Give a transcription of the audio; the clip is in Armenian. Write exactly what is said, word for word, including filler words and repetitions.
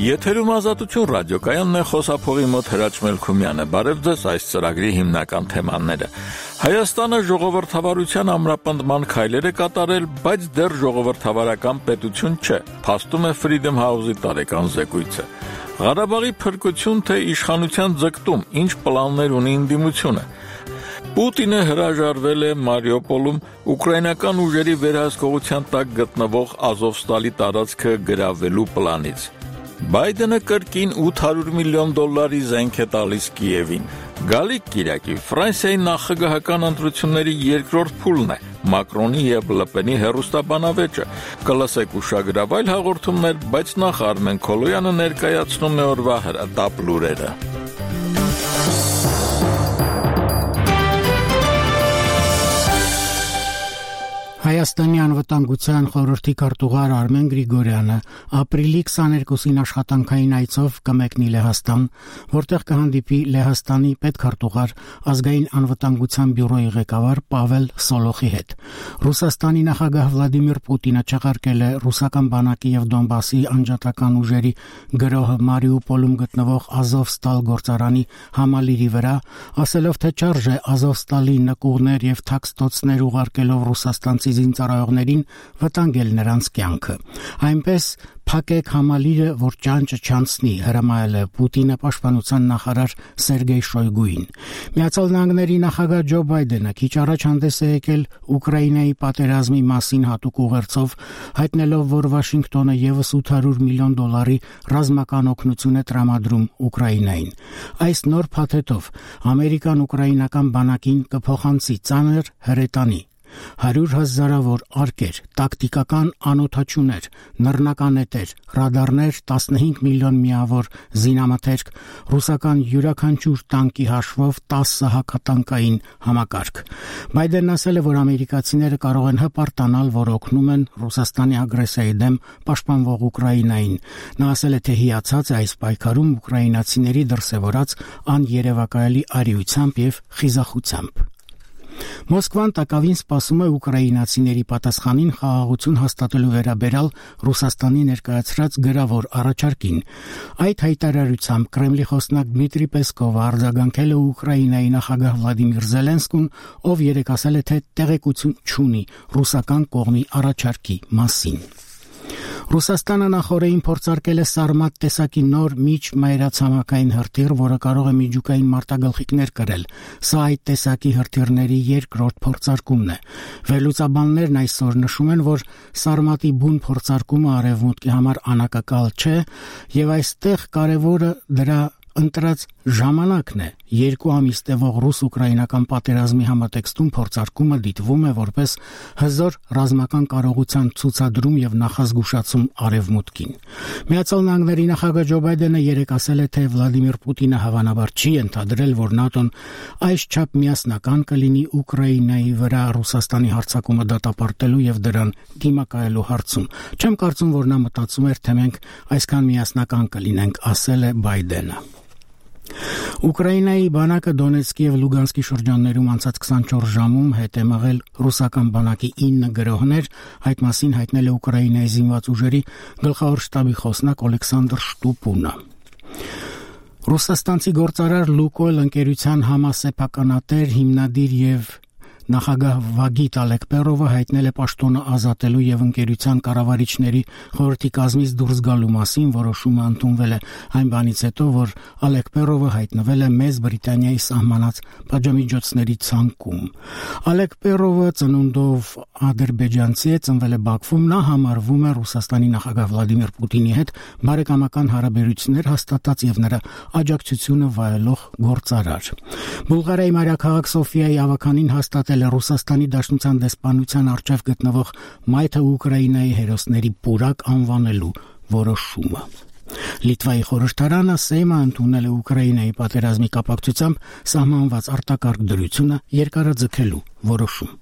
Եթերում Ազատություն ռադիոկայանն է, խոսափողի մոտ Հրաչ Մելքումյանը։ Բարև ձեզ, այս ծրագրի հիմնական թեմաները։ Հայաստանը ժողովրդավարության ամրապնդման քայլեր է կատարել, բայց դեռ ժողովրդավարական պետություն չէ, փաստում է Freedom House-ի տարեկան զեկույցը։ Ղարաբաղի փրկություն թե իշխանության ձգտում, ինչ պլաններ ունի ընդդիմությունը։ Պուտինը հրաժարվել է Մարիուպոլում ուկրաինական ուժերի վերահսկողության տակ գտնվող Ազովստալի տարածքը գրավելու պլանից։ Բայդենը կրկին ութ հարյուր միլիոն դոլարի զենք է տալիս Կիևին։ Գալիք կիրակի Ֆրանսիայի նախագահական ընտրությունների երկրորդ փուլն է, Մակրոնի և Լպենի հեռուստաբանավեճը։ Կլսեք ուշագրավայր հաղորդումներ, բայց նախ Արմեն Քոլոյանը ներկայացնում է օրվա հրատապ լուրերը։ Հայաստանի անվտանգության խորհրդի քարտուղար Արմեն Գրիգորյանը ապրիլի քսաներկուսին աշխատանքային այցով կմեկնի Լեհաստան, որտեղ կհանդիպի Լեհաստանի պետքարտուղար, ազգային անվտանգության բյուրոյի ղեկավար Պավել Սոլոխի հետ։ Ռուսաստանի նախագահ Վլադիմիր Պուտինը չեղարկել է ռուսական բանակի և Դոնբասի անջատական ուժերի գրոհը Մարիուպոլում գտնվող Ազովստալ գործարանի համալիրի վրա, ասելով, թե չարժ է Ազովստալի նկուղներ և թաքստոցներ ուղարկելով ռուսաստանցի զինծառայողներին վտանգել նրանց կյանքը։ Այնպես փակեք համալիրը, որ ճանճը չանցնի, հրամայել է Պուտինը պաշտպանության նախարար Սերգեյ Շոյգուին։ Միացյալ Նահանգների նախագահ Ջո Բայդենը քիչ առաջ հանդես է եկել Ուկրաինայի պատերազմի մասին հատուկ ուղերձով, հայտնելով, որ Վաշինգտոնը ևս ութ հարյուր միլիոն դոլարի ռազմական օգնություն է տրամադրում Ուկրաինային։ Այս նոր փաթեթով ամերիկան ուկրաինական բանակին կփոխանցի ծանր հրետանի, հարյուր հազարավոր արկեր, տակտիկական անօդաչուներ, նռնականետեր, ռադարներ, տասնհինգ միլիոն միավոր զինամթերք, ռուսական յուրաքանչյուր տանկի հաշվով տասը հակատանկային համակարգ։ Բայդենն ասել է, որ ամերիկացիները կարող են հպարտանալ, որ օգնում են Ռուսաստանի ագրեսիայի դեմ պաշտպանվող Ուկրաինային։ Նա ասել է, թե հիացած է այս պայքարում ուկրաինացիների դրսևորած աներևակայելի արիությամբ և խիզախությամբ։ Մոսկվան տակավին սպասում է ուկրաինացիների պատասխանին խաղաղություն հաստատելու վերաբերյալ Ռուսաստանի ներկայացրած գրավոր առաջարկին։ Այդ հայտարարությամբ Կրեմլի խոսնակ Դմիտրի Պեսկովը արձագանքել է Ուկրաինայի նախագահ Վլադիմիր Զելենսկուն, ով երեկ ասել է, թե տեղեկություն չունի ռուսական կողմի առաջարկի մասին։ Ռուսաստանը նախորդին փորձարկել է Սարմատ տեսակի նոր միջմայրացամաքային հրթիռ, որը կարող է միջուկային մարտագլխիկներ կրել։ Սա այդ տեսակի հրթիռների երկրորդ փորձարկումն է։ Վերլուծաբաններն այսօր նշում են, որ Սարմատի բուն փորձարկումը արևմուտքի համար անակակալ չէ, եւ այստեղ կարևորը դրա ընտրած ժամանակն է։ Երկու ամիս տևող ռուս-ուկրաինական պատերազմի համատեքստում փորձարկումը դիտվում է որպես հզոր ռազմական կարողության ցուցադրում եւ նախազգուշացում արևմուտքին։ Միացյալ Նահանգների նախագահ Ջո Բայդենը երեկ ասել է, թե Վլադիմիր Պուտինը հավանաբար չի ենթադրել, որ ՆԱՏՕ-ն այսչափ միասնական կլինի Ուկրաինայի վրա Ռուսաստանի հարձակումը դատապարտելու եւ դրան դիմակայելու հարցում։ Չեմ կարծում, որ նա մտածում էր, թե մենք այսքան միասնական կլինենք, ասել է Բայդենը։ Ուկրաինայի բանակը Դոնեցկի և Լուգանսկի շրջաններում անցած քսանչորս ժամում հետ է մղել ռուսական բանակի ինը գրոհներ, այդ մասին հայտնել է Ուկրաինայի զինված ուժերի գլխավոր շտաբի խոսնակ Օլեքսանդր Շտուպունը։ Ռուսաստանցի գործարար Լուկոյլ ընկերության համասեփականատեր, հիմնադիր և նախագահ Վագիտ Ալեկպերովը հայտնել է պաշտոնը ազատելու եւ ընկերության կառավարիչների խորհրդի կազմից դուրս գալու մասին, որոշումը ընդունվել է այն բանից հետո, որ Ալեկպերովը հայտնվել է Մեծ Բրիտանիայի սահմանած պատժամիջոցների ցանկում։ Ալեկպերովը ծնունդով ադրբեջանցի է, ծնվել է Բաքվում, նա համարվում է Ռուսաստանի նախագահ Վլադիմիր Պուտինի հետ բարեկամական հարաբերություններ հաստատած եւ նրա աջակցությունը վայելող գործարար։ Բուլղարիայի մայրաքաղաք Սոֆիայի ավականին հաստատել է Ռուսաստանի Դաշնության դեսպանության առջև գտնվող Մայթը Ուկրաինայի հերոսների պուրակ անվանելու որոշումը։ Լիտվայի խորհրդարանը Սեյմը ընդունել է Ուկրաինայի պատերազմի կապակցությամբ սահմանված արտակարգ դրությունը երկարաձգելու որոշում։